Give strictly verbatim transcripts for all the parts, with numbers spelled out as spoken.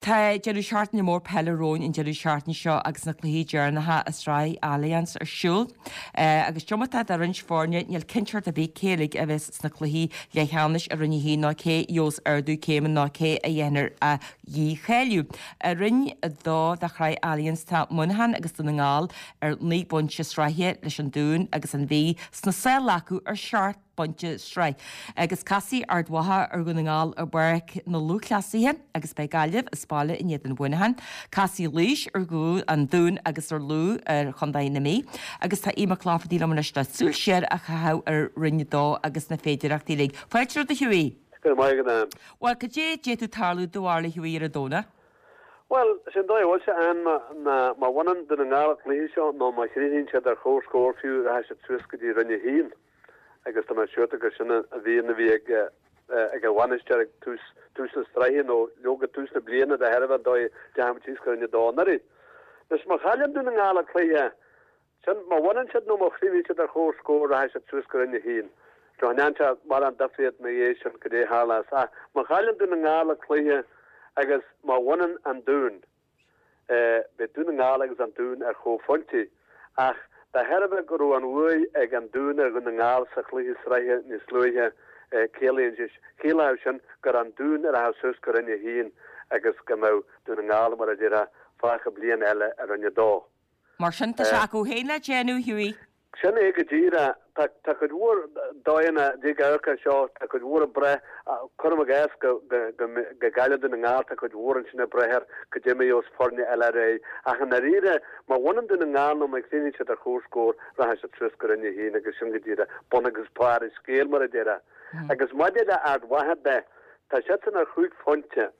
Tá deireadh seachtaine mór peile romhainn an deireadh seachtaine seo agus na cluichí deireanacha i sraith Allianz ar siúl. Agus diomaite de roinnt foirne, níl cinnteacht ar bith cé uilig a bheas sna cluichí leathcheannais i Roinn a haon ná cé a gheobhas ardú céime ná cé a dhéanfar a dhícháiliú. I Roinn a dó de shraith Allianz tá Muineachán agus Dún na nGall ar naoi bpointe sraithe leis an Dún agus an Mhí sna sála acu ar seacht bpointe sraith. Agus casfaidh Ard Mhacha ar Dhún na nGall i bPáirc na Lúthchleasaithe agus beidh Gaillimh as baile in éadan Mhuineacháin. Casfaidh Laois ar an Dún agus ar Lú ar Chontae na Mí. Agus tá Aodh Mac Laifeartaigh liom anois le súil siar a chaitheamh ar Roinn a dó agus na féidearthachtaí uilig. Fáilte romhat a Hughie. Go raibh maith agat Ann. Bhuel, cad é d'fhéadfadh tarlú do bharúil a Hughie ar an Domhnach? Bhuel, sin dóigh a bhfuil sé Ann ná má bhaineann Dún na nGall an cluiche seo nó má chríochnaíonn siad ar chomhscór fiú rachaidh siad suas go dtí Roinn a haon. Agus tá mé siúrta gur sin an mhian a bhí ag ag an bhainisteoir ag tús tús na sraithe nó leoga tús na bliana de thairbhe an dóigh a ndeachaigh muid síos go Roinn a dó anuraidh. Anois má chailleann Dún na nGall an cluiche sin, má bhaineann siad nó má chríochnaíonn siad ar chomhscór rachaidh siad suas go Roinn a haon. Cha ndéanann sé mórán difríocht ina dhiaidh sin cad é a tharlós ach má chailleann Dún na nGall an cluiche agus má bhaineann an Dún, Beidh Dún na nGall agus an Dún ar chomhphointí, ach de thairbhe go raibh an bhuaidh ag an Dún ar Dhún na nGall sa chluiche sraithe níos luaithe, ciallaíonn sé, chiallódh sin gur an Dún a rachadh suas go Roinn a haon agus go mbeadh Dún na nGall, mar a déarfá, fágtha bliain eile i Roinn a dó. Mar sin, tá sé acu féin le déanamh, Hughie. Sin é go díreach. Tá, tá cuid mhór dóigheanna ag amharc air seo, tá cuid mhór ag brath, cuirim i gcás go, go, go, go gcailleann Dún na nGall, tá cuid mhór ansin ag brath ar cad é mar a gheobhas foirne eile ar aghaidh. Ach i ndáiríre, má bhaineann Dún na nGall nó má chríochnaíonn siad ar chomhscór, rachaidh siad suas go Roinn a haon agus sin go díreach bun agus barr an scéil, mar a déarfá. Agus maidir le Ard Mhacha de, tá siadsan ar chúig phointe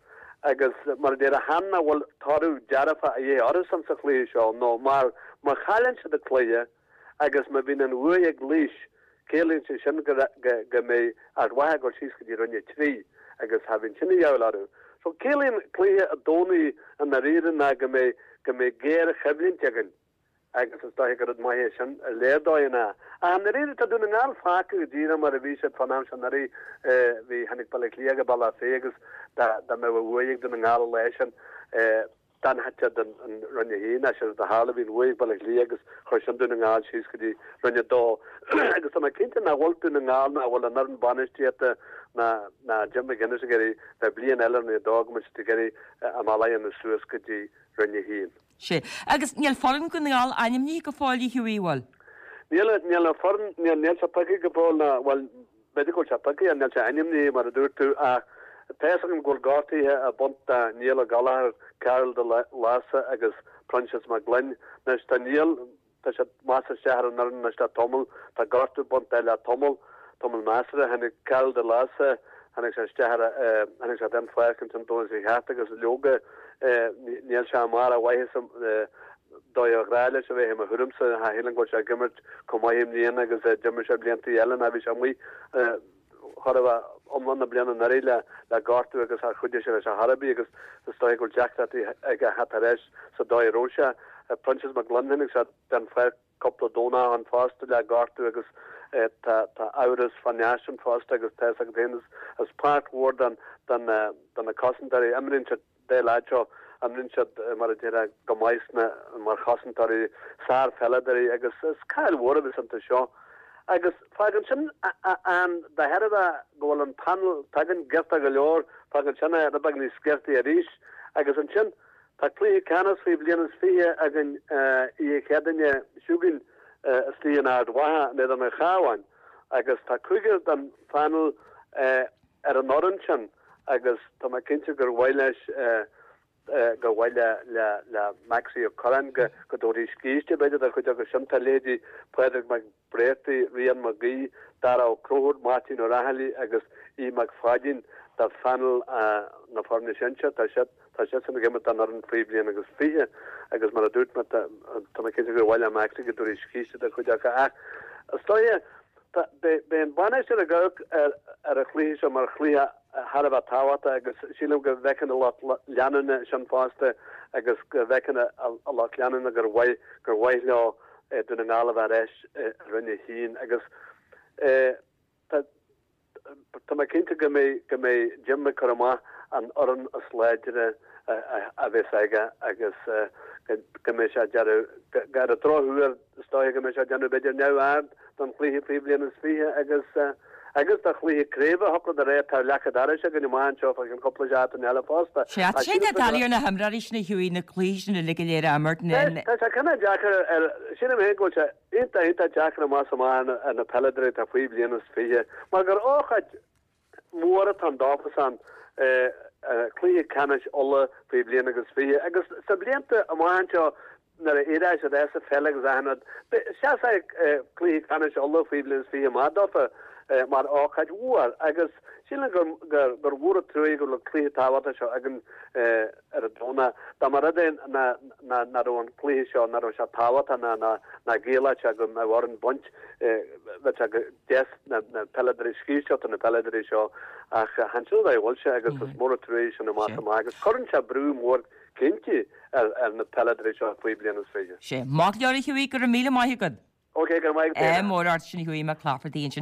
agus mar a déarfá chan nach bhfuil toradh dearfach a dhíth orthusan sa chluiche seo nó mar má chailleann siad an cluiche agus má bhíonn an bhuaidh ag Laois ciallaíonn sé sin go go mbeidh Ard Mhacha ag dul síos go dtí Roinn a trí agus cha bhíonn sin a dhíobháil orthu. So ciallaíonn cluiche an Domhnaigh i ndáiríre ná go mbeidh go mbeidh géarchoimhlint againn. Agus is dóiche gur rud maith é sin ar léir dóigheanna. Ach i ndáiríre, tá Dún na nGall fágtha go díreach mar a bhí siad fán am seo anuraidh. Bhí, tháinig Baile Átha Cliath go Bealach Féich agus dá, dá mbeadh an bhuaidh ag Dún na nGall an lá sin, d'fhanfadh siad in, in Roinn a haon. Ach séard a tharla, bhí an bhuaidh ag Baile Átha Cliath agus chuir sin Dún na nGall síos go dtí Roinn a dó. Agus tá mé cinnte nach bhfuil Dún na NGall, nach bhfuil an fhoireann bainistíochta ná, ná Jim McGuinness ag iarraidh bheith bliain eile i Roinn a dó, go mbeidh siad ag iarraidh a mbealach a dhéanamh suas go dtí Roinn a haon. Sea. Agus níl foireann Dhún na nGall ainmnithe go fóill, a Hughie, bhfuil? Níl, níl an foireann, níl, níl sé pioctha go fóill ná, bhuel, b'fhéidir go bhfuil sé pioctha, níl sé ainmnithe mar a dúirt tú, ach tá fhios agam go bhfuil gortaithe ag baint do Niall Ó Gallchóir, Karl de Lása agus Proinsias Mac Gloinn. Anois tá Niall, tá sé measctha isteach ar an fhoireann anois le tamall, tá gortú ag baint dó le tamall, tamall measartha. Tháinig Karl de Lása, tháinig sé isteach ar, tháinig sé den pháirc ansin Domhnach seo chaite agus leoga níl sé i mbarr a mhaitheasa dóigh ar ghnách leis a bheith i mo thuairimse. Cha shílim go bhfuil sé ag imirt chomh maith i mbliana agus a d'imir sé blianta eile ná bhí sé amuigh chóir a bheith iomlán na bliana anuraidh le le gortú agus char chuidigh sé leis ar chor ar bith agus is dóigh go bhfuil deacrachtaí aige a theacht ar ais sa dóigh a raibh sé. Proinsias Mac Gloinn tháinig sé den pháirc cúpla Domhnach ó shin fosta le gortú agus tá tá amhras fán fhear sin fosta agus tá fhios agat féin is is páirt mhór den den de na cosantóirí imríonn siad dá leaid seo imríonn siad mar a déarfá go maith sna mar chosantóirí sárpheileadóirí agus is caill mhór a bheas iontu seo agus fágann sin an de thairbhe go bhfuil an panel s'againn giorta go leor fágann sin é rud beag níos giortaí arís agus ansin tá cluiche ceannais faoi bhliain is fiche againn oíche Chéadaoine seo chugainn istigh in Ard Mhacha in éadan an Chabháin agus tá cúigear den phanel ar an fhoireann sin agus tá mé cinnte gur mhaith leis gur mhaith le le le Maxie Ó Curráin go go dtabharfaí scíste b'fhéidir do chuid acu sin tá leithéidí Pádraig Mac Bréartaigh, Rian Mac Aoidh, Dara Ó Conchúir, Máirtín Ó Raghallaigh agus Aodh Mac Pháidín de phanel na foirne sinsear. Tá siad tá siadsan ag imirt don fhoireann faoi bhliain agus fiche agus mar a dúirt mé tá tá mé cinnte gur mhaith le Maxie go dtabharfaí scíste do chuid acu ach is dóiche tá beidh beidh an bainisteoir ag amharc ar ar an chluiche seo mar chluiche thar a bheith tábhachtach agus sílim go bhfeiceann a lucht leanúna sin fosta agus go bhfeiceann a lucht leanúna gur mhaith gur mhaith leo Dún na nGall a bheith ar ais i Roinn a haon agus tá tá mé cinnte go mbeidh go mbeidh Jim ag cur amach an fhoireann is láidre a bheas aige agus go mbeidh sé ag déanamh ar an drochuair is dóigh go mbeidh sé ag déanamh b'fhéidir neamhaird don chluiche faoi bhliain is fiche agus agus do chluiche craoibhe a thiocfadh de réir tá leac an dorais againn amach anseo fá cheann cúpla seachtain eile fosta. Sea, tá sé doiligh ar na himreoirí sin a chuaigh na cluichí sin uilig go léir a imirt. Tá sé cineál deacair ar sílim féin go bhfuil sé iontach iontach deacair amach is amach ar na peileadóirí atá faoi bhliain is fiche mar gur ócáid mhór atá ann dófasan cluiche ceannais Uladh faoi bhliain agus fiche agus sna blianta amach anseo nuair a éireoidh siad as an pheil agus achan rud, seasfaidh cluiche ceannais Uladh faoi bhliain is fiche amach dófa mar ócáid mhór agus sílim gur gur mhór an truaí go bhfuil an cluiche tábhachtach seo againn ar an Domhnach. Dá mba rud é nach raibh an cluiche seo, nach raibh sé tábhachtach ná nach gciallódh sé go mbeadh orainn baint, bheadh sé go deas na peileadóirí, scíth a thabhairt do na peileadóirí seo ach chan sin an dóigh a bhfuil sé agus is mór an trua é sin amach is amach agus cuireann sé brú mór cinnte ar na peileadóirí seo faoi bhliain is fiche. Sé. Maith go leor a Hughie, go raibh míle maith agat. Ok, go raibh maith agat. Ádh mór ort sin Hughie Mac Laifeartaigh ansin.